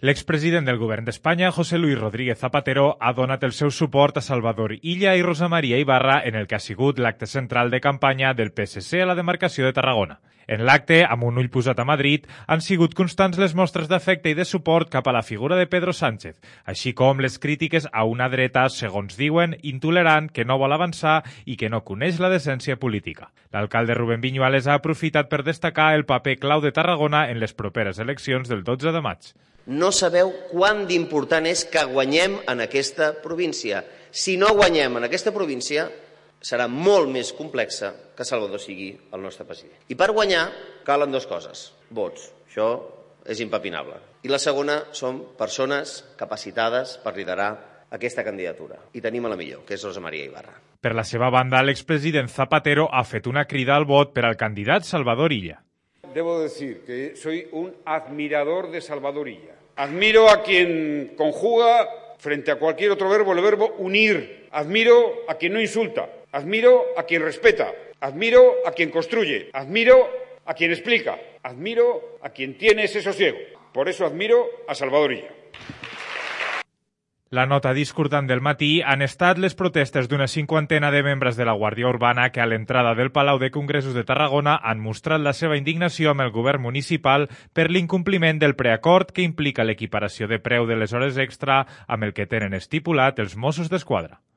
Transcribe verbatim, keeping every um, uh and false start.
L'expresident del govern d'Espanya, José Luis Rodríguez Zapatero, ha donat el seu suport a Salvador Illa i Rosa Maria Ibarra en el que ha sigut l'acte central de campanya del P S C a la demarcació de Tarragona. En l'acte, amb un ull posat a Madrid, han sigut constants les mostres d'afecte i de suport cap a la figura de Pedro Sánchez, així com les crítiques a una dreta, segons diuen, intolerant, que no vol avançar i que no coneix la decència política. L'alcalde Rubén Viñuales ha aprofitat per destacar el paper clau de Tarragona en les properes eleccions del dotze de maig. No sabeu quant d'important és que guanyem en aquesta província. Si no guanyem en aquesta província, serà molt més complexa que Salvador sigui el nostre president. I per guanyar calen dues coses. Vots. Això és impepinable. I la segona són persones capacitades per liderar aquesta candidatura. I tenim a la millor, que és Rosa Maria Ibarra. Per la seva banda, l'expresident Zapatero ha fet una crida al vot per al candidat Salvador Illa. Debo decir que soy un admirador de Salvador Illa. Admiro a quien conjuga frente a cualquier otro verbo el verbo unir. Admiro a quien no insulta. Admiro a quien respeta. Admiro a quien construye. Admiro a quien explica. Admiro a quien tiene ese sosiego. Por eso admiro a Salvador Illa. La nota discordant del matí han estat les protestes d'una cinquantena de membres de la Guàrdia Urbana que a l'entrada del Palau de Congressos de Tarragona han mostrat la seva indignació amb el govern municipal per l'incompliment del preacord que implica l'equiparació de preu de les hores extra amb el que tenen estipulat els Mossos d'Esquadra.